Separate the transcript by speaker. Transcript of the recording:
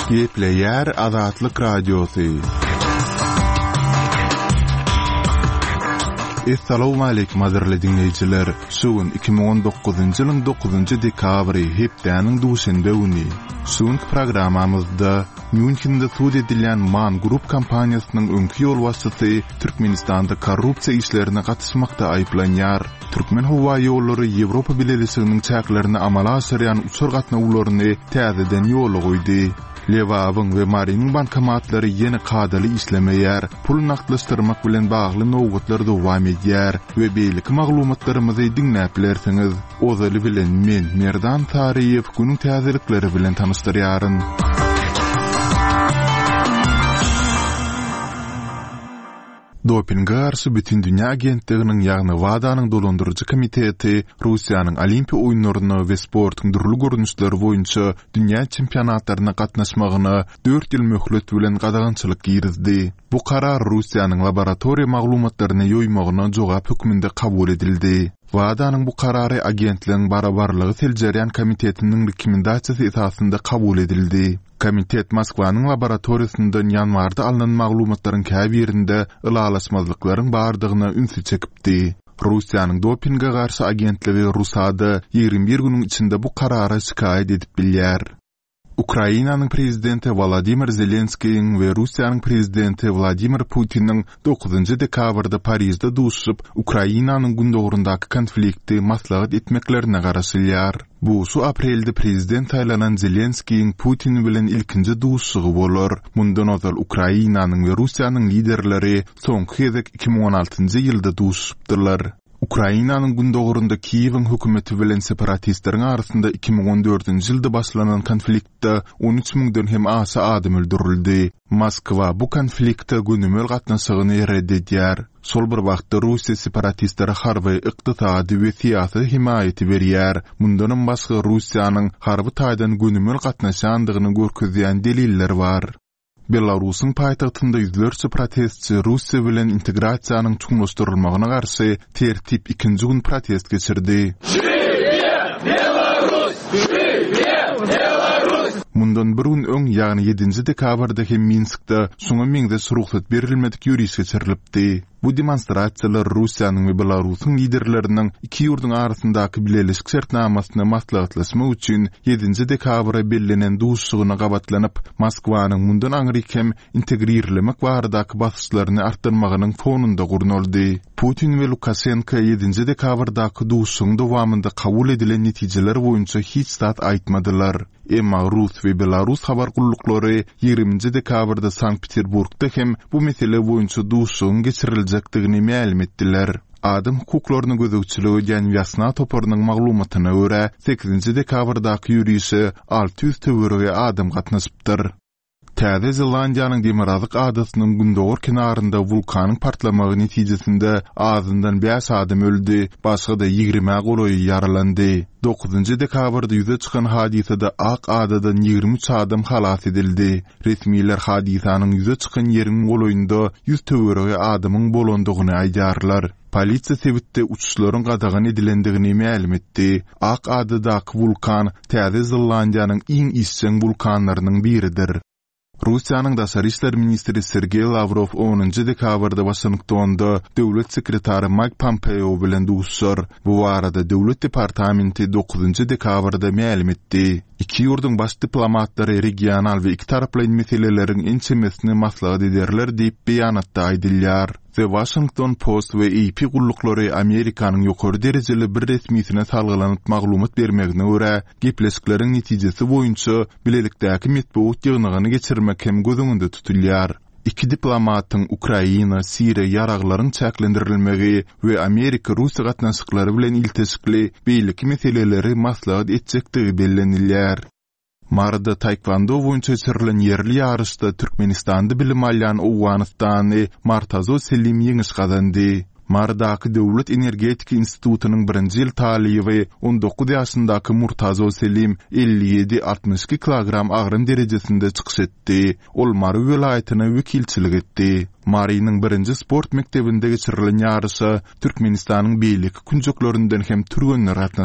Speaker 1: Gepleýär Azatlyk Radiosy. Essalawmaleýkim gadyrly diňleýjiler! Şu gün 2019-njy ýylyň dokuzynjy dekabry, hepdäniň duşenbe güni. Şu günki programmamyzda Mýunhende sud edilýän Man Group kompaniýasynyň öňki ýolbaşçysy Türkmenistanda korrupsiýa işlerine gatyşmakda aýyplanýar. Türkmenhowaýollary Ýewropa Bileleşiginiň çäklerine amala aşyrýan uçar gatnawlaryny täzeden ýola goýdy. Lebabyň we Marynyň bankomatlary ýene kadaly işlemeýär, pul nagtlaşdyrmak bilen bagly nobatlar dowam edýär we beýleki maglumatlarymyzy diňläp bilersiňiz. Ozaly bilen men, Merdan Saryýew, günüň täzelikleri bilen tanyşdyrýaryn. Dopinge garşy Bütindünýä agentliginiň, ýagny WADA-nyň dolandyryjy komiteti Russiýanyň Olimpiýa oýunlaryna we sportuň dürli görnüşleri boýunça dünýä çempionatlaryna gatnaşmagyna dört ýyl möhlet bilen gadagançylyk girizdi. Bu karar Russiýanyň laboratoriýa maglumatlaryny ýoýmagyna jogap hökmünde kabul edildi. WADA-nyň bu karary agentligiň barabarlygy seljerýän komitetiniň rekomendasiýasy esasynda kabul edildi. Komitet Moskwanyň laboratoriýasyndan ýanwarda alnan maglumatlaryň käbirinde ylalaşmazlyklaryň bardygyna ünsi çekipdi. Russiýanyň dopinge garşy agentligi RUSADA 21 günüň içinde bu karara şikaýat edip bilýär. Ukrainanyň prezidenti Wolodymyr Zelenskiýiň we Russiýanyň prezidenti Wladimir Putiniň dokuzynjy dekabrda Parižde duşuşyp, Ukrainanyň gündogaryndaky konflikti maslahat etmeklerine garaşylýar. Bu şu aprelde prezident saýlanan Zelenskiýiň Putin bilen ilkinji duşuşygy bolar. Mundan ozal Ukrainanyň we Russiýanyň liderleri soňky gezek 2016-njy ýylda duşuşypdylar. Ukrainanyň gündogarynda Kiýewiň hökümeti bilen separatistleriň arasynda 2014-nji ýylda başlanan konfliktde 13 müňden hem aşa adam öldürildi. Moskwa bu konflikte gönümel gatnaşygyny red edýär. Şol bir wagtda Russiýa separatistlere harby, ykdysady we syýasy hemaýaty berýär. Mundanam başga Russiýanyň harby taýdan gönümel gatnaşýandygyny görkezýän deliller bar. Belarusyň paýtagtynda ýüzlerçe protestçi Russiýa bilen integrasiýanyň çuňlaşdyrylmagyna garşy tertip ikinji gün protest geçirdi. Mundan bir gün öň, ýagny ýedinji dekabrda hem Minskde şuňa meňzeş rugsat berilmedik ýöriş geçirilipdi. Bu demonstrasiýalar Russiýanyň we Belarusyň liderleriniň iki ýurduň arasyndaky bileleşik şertnamasyny maslahatlaşmak üçin ýedinji dekabra bellenen duşuşygyna gabatlanyp, Moskwanyň mundan aňryk hem integrirlemek baradaky basyşlaryny artdyrmagynyň fonunda gurnaldy. Putin we Lukaşenko ýedinji dekabrdaky duşuşygyň dowamynda kabul edilen netijeler boýunça hiç zat aýtmadylar. Emma rus we belarus habar gulluklary ýigriminji dekabrda Sankt-Peterburgda hem bu mesele boýunça duşuşygyň geçiriljekdigini mälim etdiler. Adam hukuklaryna gözegçilik edýän Wýasna toparynyň maglumatyna görä, sekizinji dekabrdaky ýörişe 600 töweregi adam gatnaşypdyr. Täze Zelandiýanyň demirgazyk adasynyň gündogar kenarynda wulkanyň partlamagy netijesinde azyndan bäş adam öldi, başga-da ýigrimä golaýy ýaralandy. Dokuzynjy dekabrda ýüze çykan hadysada Ak adadan 23 adam halas edildi. Resmiler hadysanyň ýüze çykan ýeriň golaýynda ýüz töweregi adamyň bolandygyny aýdýarlar. Polisiýa sebitde uçuşlaryň gadagan edilendigini mälim etdi. Ak adadaky wulkan Täze Zelandiýanyň iň işjeň wulkanlarynyň biridir. Russiýanyň daşary işler ministri Sergeý Lawrow onunjy dekabrda Waşingtonda döwlet sekretary Maýk Pompeo bilen duşuşar. Bu barada Döwlet departamenti dokuzynjy dekabrda mälim etdi. Iki ýurduň baş diplomatlary regional we ikitaraplaýyn meseleleriň ençemesini maslahat ederler diýip, beýanatda aýdylýar. The Washington Post we AP gulluklary Amerikanyň ýokary derejeli bir resmisine salgylanyp maglumat bermegine görä, gepleşikleriň netijesi boýunça bilelikdäki metbugat ýygnagyny geçirmek hem göz öňünde tutulýar. Iki diplomatyň Ukraina, Siriýa ýaraglaryň çäklendirilmegi we Amerika-Russiýa gatnaşyklary bilen ilteşikli beýleki meseleleri maslahat etjekdigi bellenilýär. Maryda taekwondo boýunça geçirilen ýerli ýaryşda Türkmenistanda bilim alýan owganystanly Martazo Selim ýeňiş gazandy. Marydaky Döwlet energetika institutynyň birinji ýyl talyby, 19 ýaşyndaky Murtazo Selim 57, 62 kilogram agram derejesinde çykyş etdi. Ol Mary welaýatyna wekilçilik etdi. Marynyň birinji sport mekdebinde geçirilen ýaryşa Türkmenistanyň beýleki künjeklerinden hem türgenler gatnaşdy.